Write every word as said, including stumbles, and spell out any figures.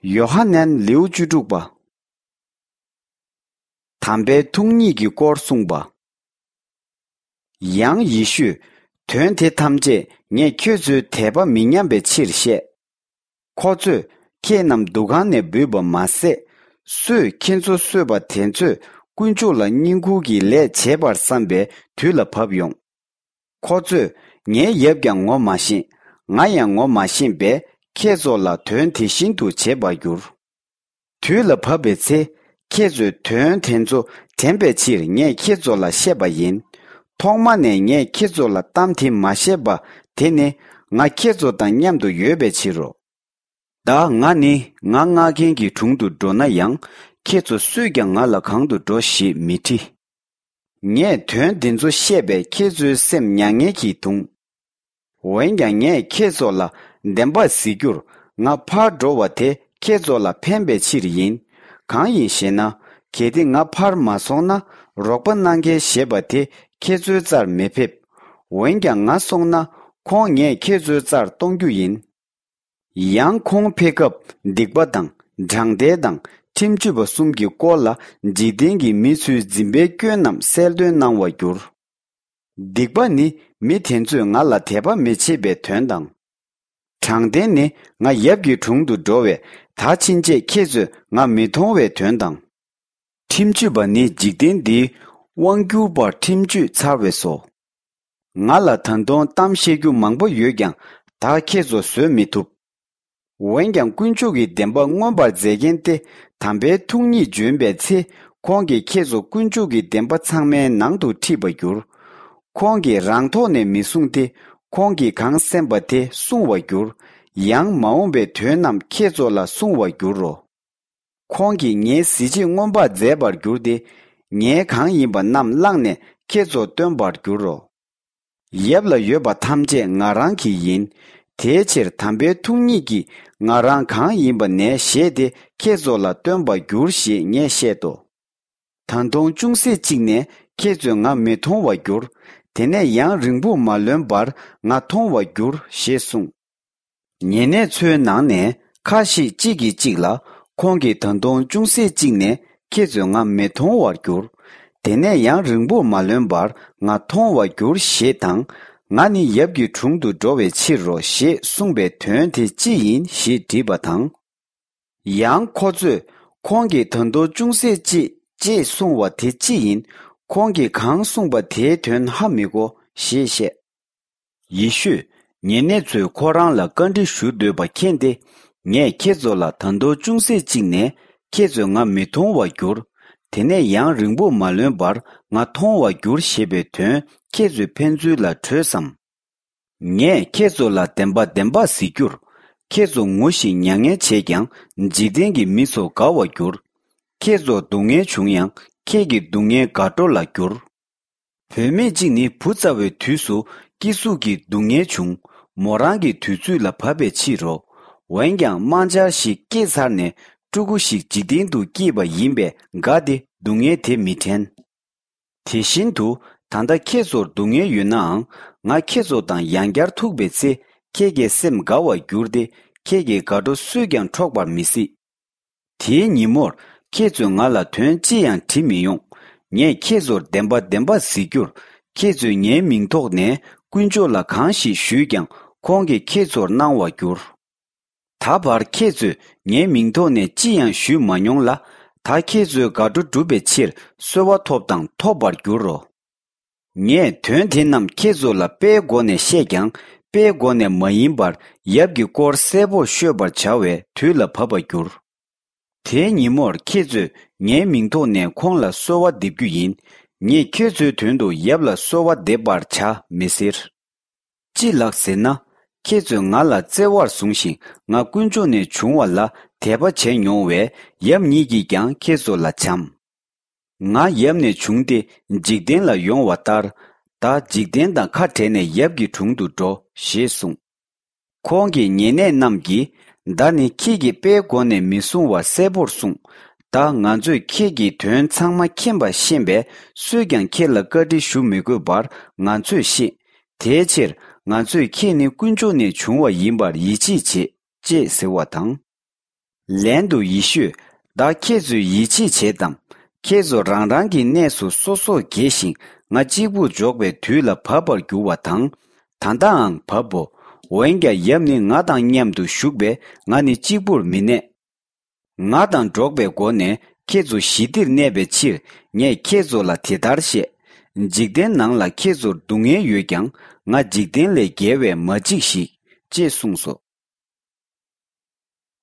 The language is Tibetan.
ཡོ་ཧ་ནན་ལེའུ་བཅུ་དྲུག་པ། དམ་པའི་ཐུགས་ཉིད་ཀྱི་སྐོར་གསུངས་པ། ཡང་ཡེ་ཤུས། དོན་དེ་ཐམས་ཅད་ངས་ཁྱོད་ཚོའི་དད་པ་མི་ཉམས་པའི་ཕྱིར་བཤད། ཁོ་ཚོས་ཁྱེད་རྣམས་འདུ་ཁང་ནས་འབུད་པ་མ་ཟད། སུས་ཁྱེད་ཚོ་གསོད་པ་དེ་ཚོས་དཀོན་མཆོག་ལ་བསྙེན་བཀུར་གྱི་ལས་བྱེད་པར་བསམ་པའི་དུས་ལ་བབ་ཡོང་། ཁོ་ཚོས་ངའི་ཡབ་ཀྱང་ངོ་མ་ཤེས། ང་ཡང་ངོ་མ་ཤེས་པས་ཁྱེད་ཚོ་ལ་དོན་དེ་བཞིན་དུ་བྱེད་པར་འགྱུར། དུས་ལ་བབ་པའི་ཚེ། ཁྱེད་ཚོས་དོན་དེ་ཚོ་དྲན་པའི་ཕྱིར་ངས་ཁྱེད་ཚོ་ལ་བཤད་པ་ཡིན། ཐོག་མ་ནས་ངས་ཁྱེད་ཚོ་ལ་གཏམ་དེ་མ་བཤད་པ་དེ་ནི། ང་ཁྱེད་ཚོ་དང་མཉམ་དུ་ཡོད་པའི་ཕྱིར་རོ། བདག་ང་ནི་ང་མངགས་མཁན་གྱི་དྲུང་དུ་འགྲོ་ན་ཡང་། ཁྱེད་ཚོ་སུས་ཀྱང་ང་ལ་གང་དུ་འགྲོ་ཞེས་མི་དྲི། ངས་དོན་འདི་ཚོ་བཤད་པས་ཁྱེད་ཚོའི་སེམས་མྱ་ངན་གྱིས་གདུང་། འོན་ཀྱང་ངས་ཁྱེད་ཚོ་ལ་བདེན་པ་གཟིགས་རྒྱུར། ང་ཕར་འགྲོ་བ་དེ་ཁྱེད་ཚོ་ལ་ཕན་པའི་ཕྱིར་ཡིན། གང་ཡིན་ཞེ་ན། གལ་ཏེ་ང་ཕར་མ་སོང་ན། རོགས་པ་གནང་མཁན་ཞེས་པ་དེ་ཁྱེད་ཚོའི་རྩར་མི་ཕེབས། འོན་ཀྱང་ང་སོང་ན། ཁོང་ངས་ཁྱེད་ཚོའི་རྩར་གཏོང་རྒྱུ་ཡིན། ཡང་ཁོང་ཕེབས་སྐབས་སྡིག་པ་དང་། དྲང་བདེན་དང་། ཁྲིམས་གཅོད་པ་གསུམ་གྱི་སྐོར་ལ་འཇིག་རྟེན་གྱི་མི་ཚོའི་འཛིན་པའི་སྐྱོན་རྣམས་གསལ་སྟོན་གནང་བར་འགྱུར། སྡིག་པ་ནི་མི་དེ་ཚོས་ང་ལ་དད་པ་མི་བྱེད་པའི་དོན་དང་། དྲང་བདེན་ནི་ང་ཡབ་ཀྱི་དྲུང་དུ་འགྲོ་བས་ད་ཕྱིན་ཆད་ཁྱེད་ཚོས་ང་མི་མཐོང་བའི་དོན་དང་། ཁྲིམས་གཅོད་པ་ནི་འཇིག་རྟེན་འདིའི་དབང་བསྒྱུར་པར་ཁྲིམས་གཅོད་ཚར་བས་སོ། ང་ལ་ད་དུང་གཏམ་བཤད་རྒྱུ་མང་པོ་ཡོད་ཀྱང་ད་ཁྱེད་ཚོ་བཟོད་མི་ཐུབ། འོན་ཀྱང་དཀོན་མཆོག་གི་བདེན་པ་མངོན་པར་མཛད་མཁན་ཏེ་དམ་པའི་ཐུགས་ཉིད་འབྱོན་པའི་ཚེ་ཁོང་གིས་ཁྱེད་ཚོ་དཀོན་མཆོག་གི་བདེན་པ་ཚང་མའི་ནང་དུ་ཁྲིད་པར་འགྱུར། ཁོང་གིས་རང་ཐོག་ནས་མི་གསུང་སྟེ་ཁོང་གིས་གང་གསན་པ་དེ་གསུང་བར་འགྱུར། ཡང་མ་འོངས་པའི་དོན་རྣམས་ཁྱེད་ཚོ་ལ་གསུང་བར་འགྱུར་རོ། ཁོང་གིས་ངའི་གཟི་བརྗིད་མངོན་པར་མཛད་པར་འགྱུར་ཏེ། ངའི་གང་ཡིན་པ་རྣམས་བླངས་ནས་ཁྱེད་ཚོར་སྟོན་པར་འགྱུར་རོ། ཡབ་ལ་ཡོད་པ་ཐམས་ཅད་ང་རང་གི་ཡིན། དེའི་ཕྱིར་དམ་པའི་ཐུགས་ཉིད་ཀྱིས་ང་རང་གང་ཡིན་པ་ནས་བཞེས་ཏེ་ཁྱེད་ཚོ་ལ་སྟོན་པར་འགྱུར་ཞེས་ངས་བཤད་དོ། ད་དུང་ཅུང་ཟད་ཅིག་ནས་ཁྱེད་ཚོས་ང་མི་མཐོང་བར་འགྱུར། དེ་ནས་ཡང་རིང་པོར་མ་ལོན་པར་ང་མཐོང་བར་འགྱུར་ཞེས་གསུངས། ཉེ་གནས་ཚོའི་ནང་ནས་ཁ་ཤས་གཅིག་གིས་གཅིག་ལ། ཁོང་གིས་ད་དུང་ཅུང་ཟད་ཅིག་ནས་ཁྱེད་ཚོས་ང་མི་མཐོང་བར་འགྱུར། དེ་ནས་ཡང་རིང་པོར་མ་ལོན་པར་ང་མཐོང་བར་འགྱུར་ཞེས་དང་། ང་ནི་ཡབ་ཀྱི་དྲུང་དུ་འགྲོ་བའི་ཕྱིར་རོ་ཞེས་གསུངས་པའི་དོན་དེ་ཅི་ཡིན་ཞེས་དྲིས་པ་དང་། ཡང་ཁོ་ཚོས་ཁོང་གིས་ད་དུང་ཅུང་ཟད་ཅིག་ཅེས་གསུངས་པ་དེ་ཅི་ཡིན། ཁོང་གིས་གང་གསུངས་པ་དེའི་དོན་ཧ་མི་གོ་ཞེས་བཤད། ཡེ་ཤུས་ཉེ་གནས་ཚོས་ཁོ་རང་ལ་བཀའ་འདྲི་ཞུ་འདོད་པ་མཁྱེན་ཏེ། ངས་ཁྱེད་ཚོ་ལ་ད་དུང་ཅུང་ཟད་ཅིག་ནས་ཁྱེད་ཚོས་ང་མི་མཐོང་བར་འགྱུར། དེ་ནས་ཡང་རིང་པོར་མ་ལོན་པར་ང་མཐོང་བར་འགྱུར་ཞེས་པའི་དོན་ཁྱེད་ཚོས་ཕན་ཚུན་ལ་གྲོས་སམ། ངས་ཁྱེད་ཚོ་ལ་བདེན་པ་བདེན་པ་ཟེར་རྒྱུར། ཁྱེད་ཚོ་ངུ་ཞིང་མྱ་ངན་བྱས་ཀྱང་འཇིག་རྟེན་གྱི་མི་ཚོ་དགའ་བར་འགྱུར། ཁྱེད་ཚོར་སྡུག་བསྔལ་བྱུང་ཡང་ཁྱེད་ཀྱི་སྡུག་བསྔལ་དགའ་སྤྲོ་ལ་འགྱུར། བུད་མེད་ཅིག་ནི་བུ་བཙའ་བའི་དུས་སུ་སྐྱེ་ཟུག་གི་སྡུག་བསྔལ་བྱུང་། མོ་རང་གི་དུས་ཚོད་ལ་བབ་པའི་ཕྱིར་རོ། འོན་ཀྱང་དམར་འབྱར་ཞིག་སྐྱེས་ཚར་ནས་ཕྲུ་གུ་ཞིག་འཇིག་རྟེན་དུ་སྐྱེས་པ་ཡིན་པས་དགའ་སྟེ་སྡུག་བསྔལ་དེ་མི་དྲན། དེ་བཞིན་དུ་ད་ལྟ་ཁྱེད་ཚོར་སྡུག་བསྔལ་ཡོད་ནའང་། ང་ཁྱེད་ཚོ་དང་ཡང་བསྐྱར་ཐུག་པའི་ཚེ་ཁྱེད་ཀྱི་སེམས་དགའ་བར་འགྱུར་ཏེ་ཁྱེད་ཀྱི་དགའ་སྤྲོ་སུས་ཀྱང་འཕྲོག་པར་མི་སྲིད། དེའི་ཉིན་མོར་ཁྱེད་ཚོས་ང་ལ་དོན་ཅི་ཡང་དྲི་མི་ཡོང་། ངས་ཁྱེད་ཚོར་བདེན་པ་བདེན་པ་ཟེར་རྒྱུར། ཁྱེད་ཚོས་ངའི་མིང་ཐོག་ནས་དཀོན་མཆོག་ལ་གང་ཞིག་ཞུས་ཀྱང་ཁོང་གིས་ཁྱེད་ཚོར་གནང་བར་འགྱུར། ད་བར་ཁྱེད་ཚོས་ངའི་མིང་ཐོག་ནས་ཅི་ཡང་ཞུས་མ་མྱོང་ལ། ད་ཁྱེད་ཚོའི་དགའ་སྤྲོ་བསྒྲུབ་པའི་ཕྱིར་གསོལ་བ་ཐོབ་དང་ཐོབ་པར་འགྱུར་རོ། ངས་དོན་དེ་རྣམས་ཁྱེད་ཚོ་ལ་དཔེའི་སྒོ་ནས་བཤད་ཀྱང་དཔེའི་སྒོ་ནས་མ་ཡིན་པར་ཡབ་ཀྱི་སྐོར་གསལ་པོར་ཤོད་པར་བྱ་བའི་དུས་ལ་བབ་པར་འགྱུར། དེའི་ཉིན་མོར་ཁྱེད་ཚོས་ངའི་མིང་ཐོག་ནས་ཁོང་ལ་གསོལ་བ་འདེབས་རྒྱུ་ཡིན། ངས་ཁྱེད་ཚོའི་དོན་དུ་ཡབ་ལ་གསོལ་བ་འདེབས་པར་བྱ་མི་ཟེར། ཅི་ལགས་ཟེར་ན། ཁྱེད་ཚོས་ང་ལ་བརྩེ་བར་བཟུང་ཞིང་ང་དཀོན་མཆོག་ནས་བྱུང་བ་ལ་དད་པ་བྱས་མྱོང་བས་ཡབ་ཉིད་ཀྱིས་ཀྱང་ཁྱེད་ཚོ་ལ་བྱམས། ང་ཡབ་ནས་བྱུང་སྟེ་འཇིག་རྟེན་ལ་ཡོང་བ་ལྟར། ད་འཇིག་རྟེན་དང་ཁ་བྲལ་ནས་ཡབ་ཀྱི་དྲུང་དུ་འགྲོ་ཞེས་གསུངས། ཁོང་གི་ཉེ་གནས་རྣམས་ཀྱིས། བདག་ནི་ཁྱེད་ཀྱིས་དཔེའི་སྒོ་ནས་མི་གསུང་བ་གསལ་པོར་གསུངས། ད་ང་ཚོས་ཁྱེད་ཀྱིས་དོན་ཚང་མ་མཁྱེན་པ་ཤེས་པས་སུས་ཀྱང་ཁྱེད་ལ་བཀའ་འདྲི་ཞུ་མི་དགོས་པར་ང་ཚོས་ཤེས། དེའི་ཕྱིར་ང་ཚོས་ཁྱེད་ནི་དཀོན་མཆོག་ནས་བྱུང་བ་ཡིན་པར་ཡིད་ཆེས་བྱེད། ཅེས་ཟེར་བ་དང་། ལན་དུ་ཡེ་ཤུས། བདག་ཁྱེད་ཚོས་ཡིད་ཆེས་བྱེད་དམ། ཁྱེད་ཚོ་རང་རང་གི་གནས་སུ་སོ་སོར་གྱེས་ཤིང་ང་གཅིག་པུར་འཇོག་པའི་དུས་ལ་བབ་པར་འགྱུར་བ་དང་། ད་ལྟའང་བབ་བོ། འོན་ཀྱང་ཡབ་ནི་ང་དང་མཉམ་དུ་བཞུགས་པས་ང་ནི་གཅིག་པུར་མི་གནས། ང་དང་འགྲོགས་པའི་སྒོ་ནས་ཁྱེད་ཚོ་ཞི་བདེར་གནས་པའི་ཕྱིར་ངས་ཁྱེད་ཚོ་ལ་དེ་ལྟར་བཤད། འཇིག་རྟེན་ནང་ལ་ཁྱེད་ཚོར་སྡུག་བསྔལ་ཡོད་ཀྱང་ང་འཇིག་རྟེན་ལས་རྒྱལ་བས་མ་འཇིགས་ཤིག་ཅེས་གསུངས་སོ།